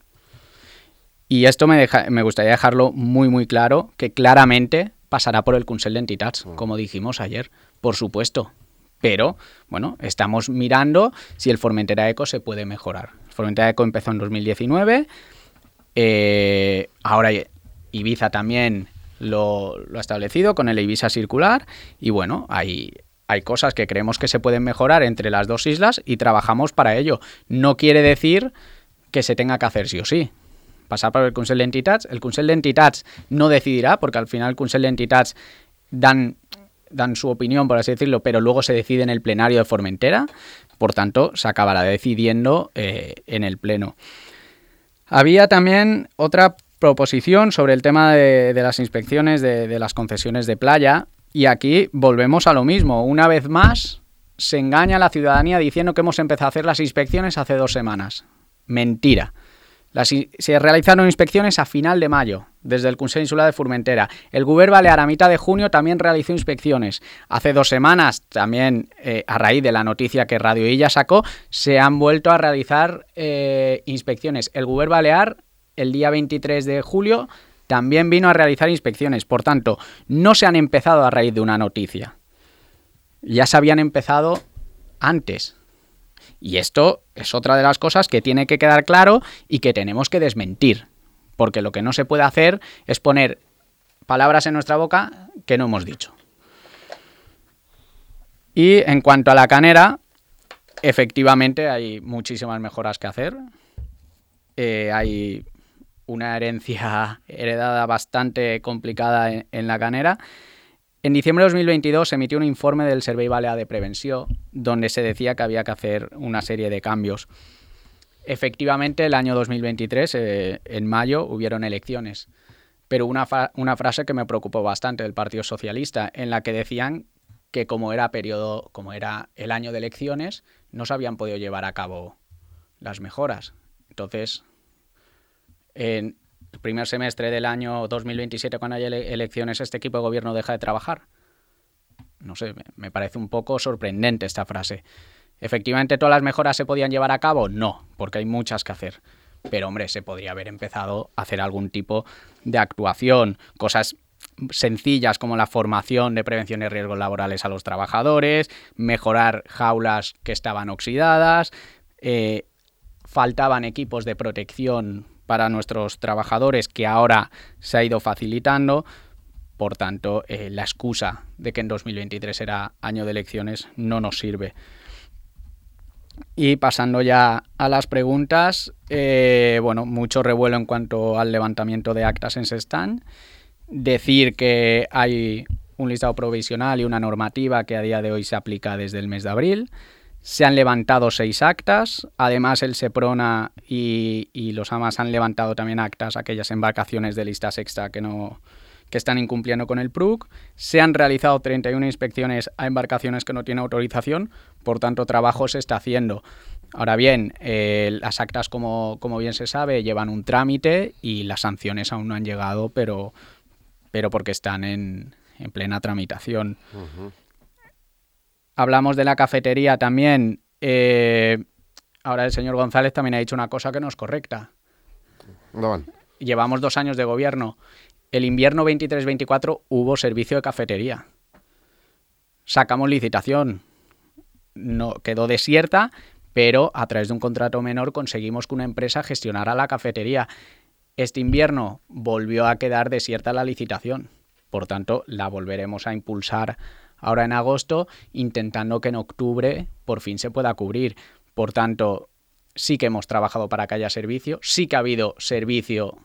Y esto me, deja, me gustaría dejarlo muy muy claro, que claramente pasará por el Consell d'Entitats, como dijimos ayer, por supuesto. Pero, bueno, estamos mirando si el Formentera Eco se puede mejorar. El Formentera Eco empezó en dos mil diecinueve, eh, ahora Ibiza también lo, lo ha establecido con el Eivissa Circular, y bueno, hay, hay cosas que creemos que se pueden mejorar entre las dos islas y trabajamos para ello. No quiere decir que se tenga que hacer sí o sí. Pasar por el Consell d'Entitats. El Consell d'Entitats no decidirá, porque al final el Consell d'Entitats dan... dan su opinión, por así decirlo, pero luego se decide en el plenario de Formentera, por tanto, se acabará decidiendo eh, en el pleno. Había también otra proposición sobre el tema de, de las inspecciones de, de las concesiones de playa, y aquí volvemos a lo mismo. Una vez más, se engaña a la ciudadanía diciendo que hemos empezado a hacer las inspecciones hace dos semanas. Mentira. Las, se realizaron inspecciones a final de mayo, desde el Consell Insular de Formentera. El Govern Balear a mitad de junio también realizó inspecciones. Hace dos semanas, también eh, a raíz de la noticia que Radio Illa sacó, se han vuelto a realizar eh, inspecciones. El Govern Balear, el día veintitrés de julio, también vino a realizar inspecciones. Por tanto, no se han empezado a raíz de una noticia. Ya se habían empezado antes. Y esto es otra de las cosas que tiene que quedar claro y que tenemos que desmentir, porque lo que no se puede hacer es poner palabras en nuestra boca que no hemos dicho. Y en cuanto a la canera, efectivamente hay muchísimas mejoras que hacer. Eh, hay una herencia heredada bastante complicada en, en la canera. En diciembre de dos mil veintidós se emitió un informe del Servei Balear de Prevenció donde se decía que había que hacer una serie de cambios. Efectivamente, el año dos mil veintitrés, eh, en mayo, hubieron elecciones, pero una, una frase que me preocupó bastante del Partido Socialista, en la que decían que como era periodo, como era el año de elecciones, no se habían podido llevar a cabo las mejoras. Entonces, en el primer semestre del año dos mil veintisiete, cuando haya ele- elecciones, este equipo de gobierno deja de trabajar. No sé, me, me parece un poco sorprendente esta frase. ¿Efectivamente todas las mejoras se podían llevar a cabo? No, porque hay muchas que hacer. Pero, hombre, se podría haber empezado a hacer algún tipo de actuación, cosas sencillas como la formación de prevención de riesgos laborales a los trabajadores, mejorar jaulas que estaban oxidadas, eh, faltaban equipos de protección para nuestros trabajadores que ahora se ha ido facilitando. Por tanto, eh, la excusa de que en dos mil veintitrés era año de elecciones no nos sirve. Y pasando ya a las preguntas, eh, bueno, mucho revuelo en cuanto al levantamiento de actas en Sestán. Decir que hay un listado provisional y una normativa que a día de hoy se aplica desde el mes de abril. Se han levantado seis actas. Además, el Seprona y, y los AMAS han levantado también actas a aquellas embarcaciones de lista sexta que no... que están incumpliendo con el P R U C. Se han realizado treinta y una inspecciones a embarcaciones que no tienen autorización, por tanto, trabajo se está haciendo. Ahora bien, eh, las actas, como, como bien se sabe, llevan un trámite y las sanciones aún no han llegado, pero, pero porque están en, en plena tramitación. Uh-huh. Hablamos de la cafetería también. Eh, ahora el señor González también ha dicho una cosa que no es correcta. No. Llevamos dos años de gobierno. El invierno veintitrés veinticuatro hubo servicio de cafetería. Sacamos licitación. No, quedó desierta, pero a través de un contrato menor conseguimos que una empresa gestionara la cafetería. Este invierno volvió a quedar desierta la licitación. Por tanto, la volveremos a impulsar ahora en agosto, intentando que en octubre por fin se pueda cubrir. Por tanto, sí que hemos trabajado para que haya servicio, sí que ha habido servicio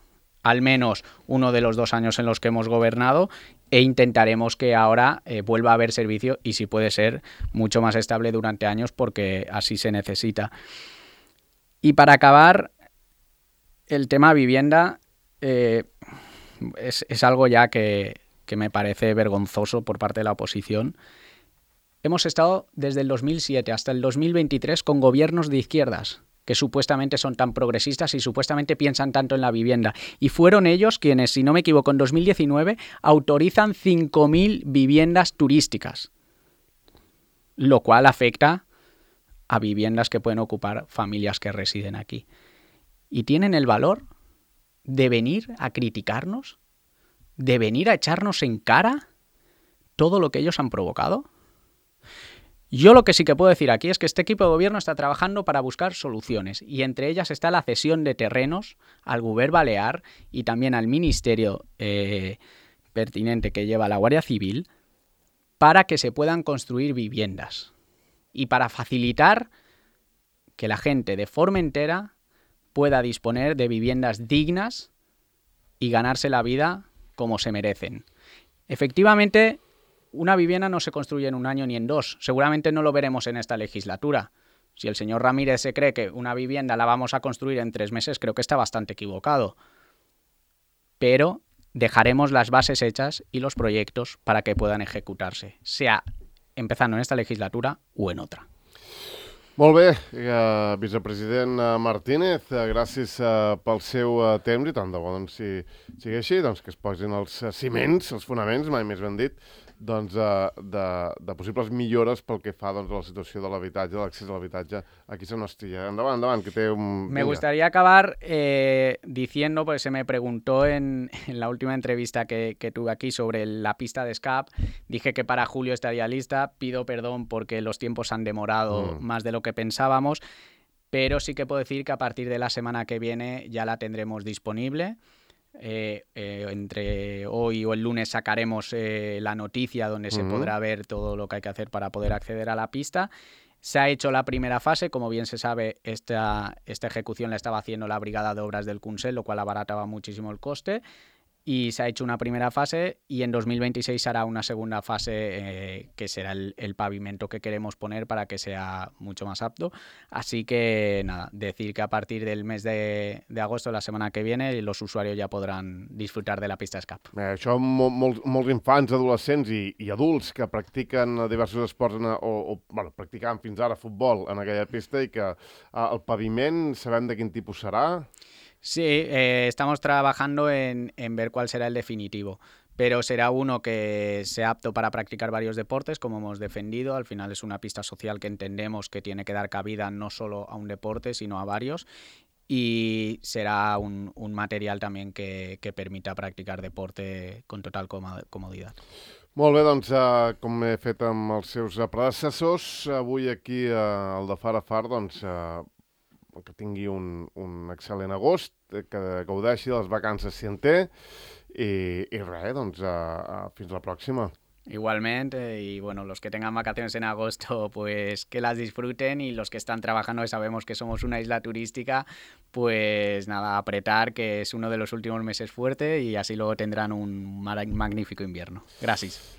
al menos uno de los dos años en los que hemos gobernado, e intentaremos que ahora eh, vuelva a haber servicio y, si puede ser, mucho más estable durante años, porque así se necesita. Y para acabar, el tema vivienda eh, es, es algo ya que, que me parece vergonzoso por parte de la oposición. Hemos estado desde el dos mil siete hasta el dos mil veintitrés con gobiernos de izquierdas que supuestamente son tan progresistas y supuestamente piensan tanto en la vivienda. Y fueron ellos quienes, si no me equivoco, en dos mil diecinueve autorizan cinco mil viviendas turísticas, lo cual afecta a viviendas que pueden ocupar familias que residen aquí. Y tienen el valor de venir a criticarnos, de venir a echarnos en cara todo lo que ellos han provocado. Yo lo que sí que puedo decir aquí es que este equipo de gobierno está trabajando para buscar soluciones, y entre ellas está la cesión de terrenos al Govern Balear y también al ministerio eh, pertinente que lleva la Guardia Civil, para que se puedan construir viviendas y para facilitar que la gente de Formentera pueda disponer de viviendas dignas y ganarse la vida como se merecen. Efectivamente, una vivienda no se construye en un año ni en dos. Seguramente no lo veremos en esta legislatura. Si el señor Ramírez se cree que una vivienda la vamos a construir en tres meses, creo que está bastante equivocado. Pero dejaremos las bases hechas y los proyectos para que puedan ejecutarse, sea empezando en esta legislatura o en otra. Molt bé, eh, vicepresident Martínez, eh, gràcies eh, pel seu eh, temps, i tant de bo, doncs, si sigui així, doncs, que es posin els ciments, els fonaments, mai més ben dit, doncs, de, de, de possibles millores pel que fa, doncs, a la situació de l'habitatge, de l'accés a l'habitatge aquí a San Nostilla. Endavant, endavant, que té un... Me gustaría acabar eh, diciendo, pues se me preguntó en, en la última entrevista que, que tuve aquí sobre la pista de escape, dije que para julio estaría lista. Pido perdón porque los tiempos han demorado mm. más de lo que pensábamos, pero sí que puedo decir que a partir de la semana que viene ya la tendremos disponible. Eh, eh, entre hoy o el lunes sacaremos eh, la noticia donde se uh-huh. podrá ver todo lo que hay que hacer para poder acceder a la pista. Se ha hecho la primera fase, como bien se sabe, esta, esta ejecución la estaba haciendo la Brigada de Obras del Consell, lo cual abarataba muchísimo el coste, y se ha hecho una primera fase, y en dos mil veintiséis hará una segunda fase eh, que será el, el pavimento que queremos poner para que sea mucho más apto. Así que nada, decir que a partir del mes de, de agosto, la semana que viene, los usuarios ya podran disfrutar de la pista escape. Eh, això mol, mol, molts infants, adolescents i, i adults que practiquen diversos esports en, o, o bueno, practicaven fins ara futbol en aquella pista, i que eh, el paviment sabem de quin tipus serà? Sí, eh, estamos trabajando en, en ver cuál será el definitivo, pero será uno que sea apto para practicar varios deportes, como hemos defendido. Al final es una pista social que entendemos que tiene que dar cabida no solo a un deporte, sino a varios, y será un, un material también que, que permita practicar deporte con total comodidad. Molt bé, doncs, eh, com he fet amb els seus predecessors, avui aquí eh, al de Far a Far, doncs, eh, que tingui un, un excel·lent agost, que gaudeixi de les vacances si en té, i, i res, doncs, eh, eh, fins la pròxima. Igualmente, y bueno, los que tengan vacaciones en agosto, pues que las disfruten, y los que están trabajando, que sabemos que somos una isla turística, pues nada, apretar, que es uno de los últimos meses fuerte, y así luego tendrán un magnífico invierno. Gracias.